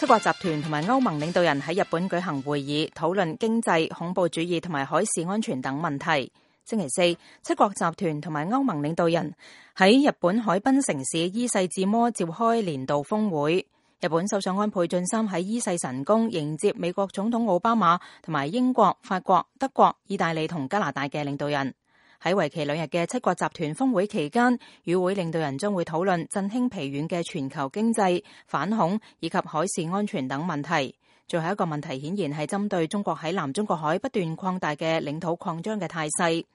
七國集團同埋歐盟領導人喺日本舉行會議，討論經濟、恐怖主義同埋海事安全等問題。星期四，七國集團同埋歐盟領導人喺日本海濱城市伊勢志摩召開年度峰會。日本首相安倍晉三喺伊勢神宮迎接美國總統奧巴馬同埋英國、法國、德國、意大利同加拿大嘅領導人。喺為期2日嘅七國集團峰會期間，與會領導人將會討論振興疲軟嘅全球經濟、反恐以及海事安全等問題。最後一個問題顯然係針對中國喺南中國海不斷擴大嘅領土擴張嘅態勢。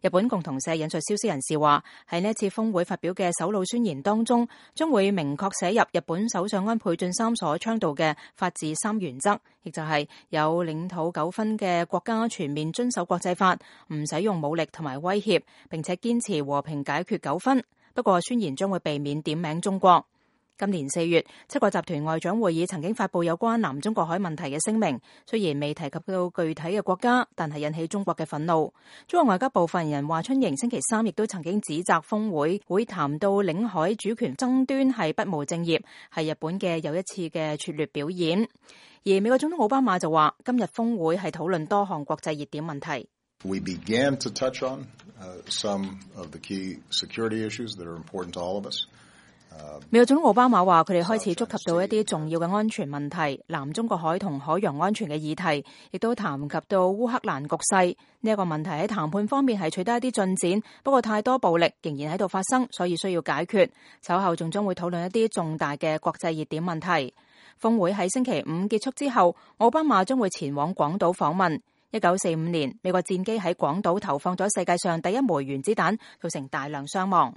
日本共同社引述消息人士話，喺呢一次峰會發表嘅首腦宣言當中，將會明確寫入日本首相安倍晉三所倡導嘅法治3原則，亦就係有領土糾紛嘅國家全面遵守國際法，唔使用武力同埋威脅，並且堅持和平解決糾紛。不過宣言將會避免點名中國。今年4月，七國集團外長會議曾經發布有關南中國海問題嘅聲明，雖然未提及到具體嘅國家，但係引起中國嘅憤怒。中國外交部發言人華春瑩星期三亦都曾經指責峰會會談到領海主權爭端係不務正業，係日本嘅又一次嘅拙劣表演。而美國總統奧巴馬就話，今日峰會係討論多項國際熱點問題。We began to touch on some of the key security issues that are important to all of us. 美國總統奧巴馬話，佢哋開始觸及到一啲重要嘅安全問題，南中國海同海洋安全嘅議題，亦都談及到烏克蘭局勢。呢一個問題喺談判方面係取得一啲進展，不過太多暴力仍然喺度發生，所以需要解決。稍後仲將會討論一啲重大嘅國際熱點問題。峰會喺星期5結束之後，奧巴馬將會前往廣島訪問。1945年，美國戰機喺廣島投放咗世界上第一枚原子彈，造成大量傷亡。